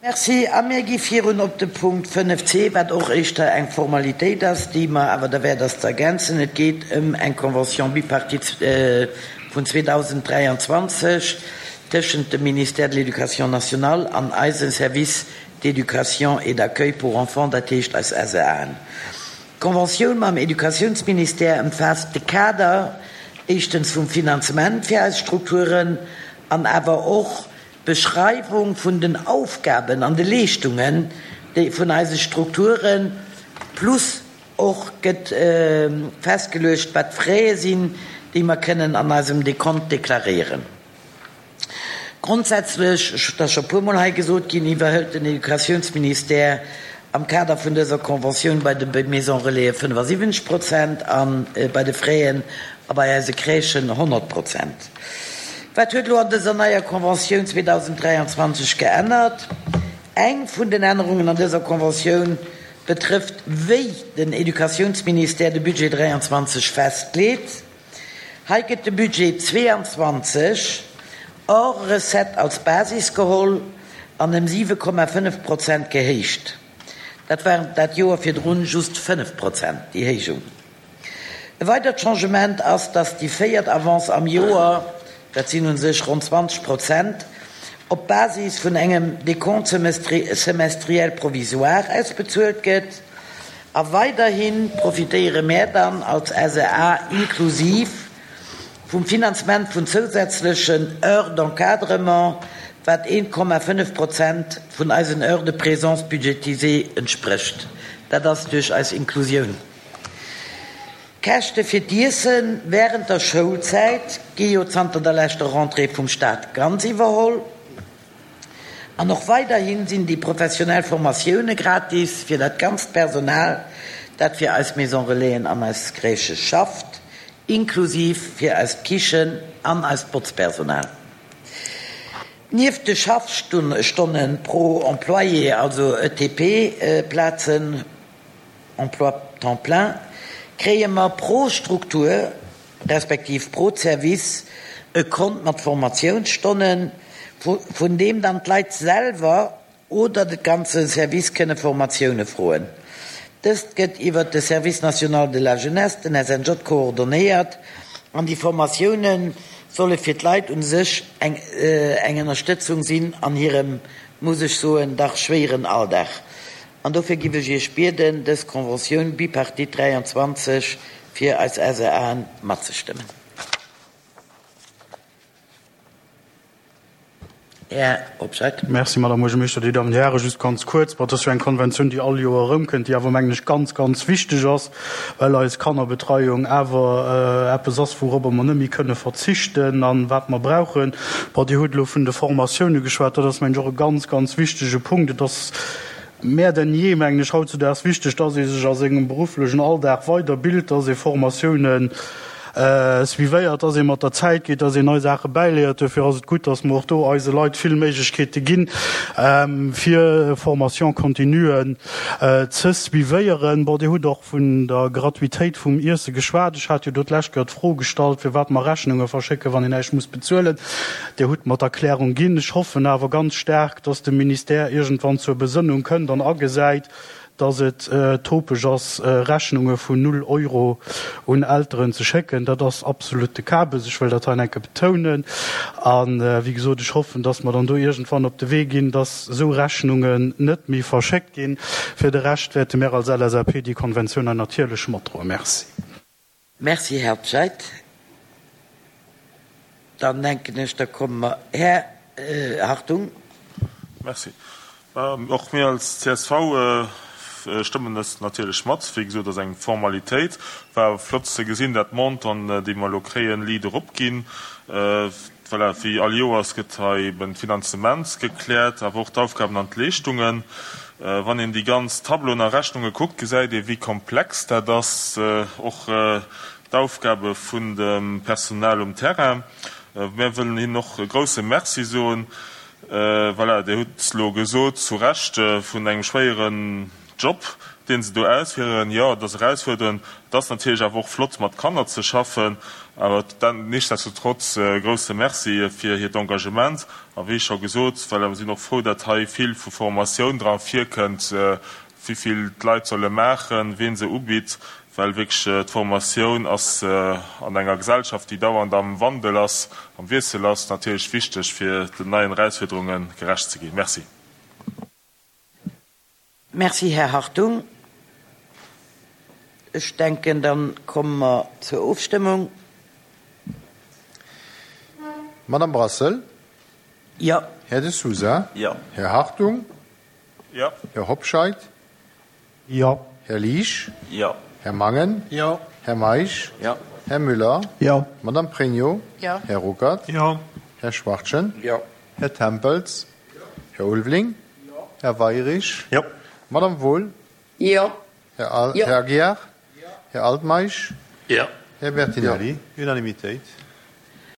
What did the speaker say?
Merci. A mir gi virun op de Punkt 5 c, wat och éischter eng Formalitéit ass, déi mer awer derwäert ass ze ergänzen. Et geet ëm eng Convention bipartite vun 2023 tëschent dem Ministère de l'Éducation nationale an eise Service d'éducation et d'accueil pour enfants, dat heescht eis SEAen. D'Conventioun mam Educatiounsministère ëmfaasst de Kader éischtens vum Finanzement fir eis Strukturen an awer och d'Beschreiwung vun den Aufgaben an de Leeschtungen déi vun eise Strukturen, plus och gëtt festgeluecht wat d'Fraie sinn, déi mer kënnen an eisem Dekont deklaréieren. Grondsätzlech, et ass scho puermol hei gesot ginn, iwwerhëlt den Educatiounsministère am Kader vun dëser Conventioun bei de Maisons Relaisen 75 Prozent a bei de Fräen a bei eise Crèchen 100 Prozent. Wat huet elo an dëser neier Conventioun 2023 geännert? Eng vun den Ännerungen an dëser Conventioun betrëfft, wéi den Educatiounsministère de Budget 23 festleet. Hei gëtt de Budget 22 hors recettes als Basis geholl an ëm 7,5 Prozent gehéicht. Dat waren dat Joer virdrun just 5 Prozent, déi Héijung. E weidert Changement ass, dass déi véiert Avance am Joer, dat sinn u sech ronn 20 Prozent, op Basis vun engem Décompte semestriel provisoire ausbezuelt gëtt. A weiderhi profitéiere mär dann als SEA inklusiv vum Finanzement vun zousätzlechen Heures d'encadrement, wat 1,5 Prozent vun eisen Heures de présence budgétisées entsprécht. Dat ass duerch eis Inklusioun. D'Käschte fir d'Iesse während der Schoulzäit gi jo zanter der leschter Rentrée vum Staat ganz iwwerholl. An och weiderhi sinn déi professionell Formatioune gratis fir dat ganzt Personal, dat fir eis Maison Relaisen an eis Crèchë schafft, inklusiv fir eist Kichen an eist Botzpersonal. Nieft de Schaffstonne pro Employé, also ETP-Plazen, Emploi temps plein, kréie mer pro Struktur, respektiv pro Service e Kont mat Formatiounsstonnen, vun deem dann d'Leit selwer oder de ganze Service kënne Formatioune froen. Dëst gëtt iwwert de Service national de la jeunesse, den SNJ, koordonéiert an déi Formatioune solle fir d'Leit u sech eng Ënnerstëtzung sinn an hirem, muss ech soen, dach schwéieren Alldag. An dofir giff ech Iech bieden, dës Conventioun bipartite 23 fir eis SEAen matzestëmmen. Här Hobscheit. Merci, Madame Buergermeeschter. Dir Dammen, Dir Hären, just ganz kuerz, bon, et ass jo eng Konventioun, déi all Joer erëmkënnt, déi awer, mengen ech, ganz, ganz wichteg ass, well eis Kannerbetreiung awer eppes ass, wourobber mer net méi kënne verzichten a wat mer brauchen. Bon, Dir hutt elo vun de Formatioune geschwat, dat ass, mengen ech, och e ganz, ganz wichtege Punkt. Et ass Mehr denn je, mengen ech, hautzudaags wichteg, dass ee sech a sengem berufflechen Alldag weiderbilt, dass ee Formatiounen suivéiert, dass ee mat der Zäit geet, dass een nei Saache bäiléiert. Duerfir ass et gutt, dass mer och do eise Leit vill Méiglechkeete ginn, fir Formation-continuen ze suivéieren. Bon, Dir hutt och vun der Gratuitéit vum Iesse geschwat. Ech hat jo do d'lescht Kéier d'Fro gestallt, firwat mer Rechnunge verschécken, wann een näischt muss bezuelen. Dir hutt mer d'Erklärung ginn. Ech hoffen awer ganz staark, dass de Ministère iergendwann zur Besënnung kënnt an agesäit, dass et topeg ass, Rechnunge vun null Euro un Elteren ze schécken. Dat ass absolutte Kabes. Ech wëll dat hei enke betounen. A wéi gesot, ech hoffen, dass mer dann do iergendwann op de Wee ginn, dass esou Rechnungen net méi verschéckt ginn. Fir de Rescht wäerte mir als LSAP déi Konventioun hei natierlech matdroen. Merci. Merci, Här Obscheid. Dann denken ech, da komme mer, Här Hartung. Merci. Och mir als csv stëmmen dës natierlech mat. Wéi gesot, ass eng Formalitéit. War awer flott ze gesinn, dat d'Montanten, déi mer elo kréien, liit eropginn. Voilà, wéi all Joers gëtt hei eben d'Finanzement gekläert, awer och d'Aufgaben an d'Leeschtungen. Wann een déi ganz Tableauen a Rechnunge kuckt, gesäit ee wéi komplex dat ass, och d'Aufgabe vun dem Personal um Terrain. Mär wëllen hinnen och e grouse Merci soen. Voilà, Dir hutt elo gesot, zu Recht, vun engem schwéieren Job. Deen se do ausféieren. Jo, et ass erausfuerderend. Et ass natierlech awer och flott, mat Kanner ze schaffen. Awer nichtsdestotrotz e grousse Merci fir hiert Engagement. A wéi scho gesot, well mer sinn och frou, datt hei vill vu Formatioun dra virkënnt, wéi vill d'Leit solle maachen, wien se ubitt, well wierklech d'Formatioun ass an enger Gesellschaft, déi dauernd am Wandel ass, am Wiessel ass, natierlech wichteg, fir den neien Erausfuerderunge gerecht ze ginn. Merci. Merci, Här Hartung. Ech denken, da komme mer zur Ofstëmmung. Madame Brassel? Jo. Här De Sousa? Jo. Här Hartung? Jo. Här Hobscheit? Jo. Här Liesch? Jo. Här Mangen? Jo. Här Meisch? Jo. Här Müller? Jo. Madame Pregno? Jo. Här Ruckert? Jo. Här Schwachtgen? Jo. Här Tempels? Här Ulveling? Här Weirich? Jo. Madame Wohl? Jo. Här Aguiar? Här Altmeisch? Jo. Här Bertinelli? Unanimitéit.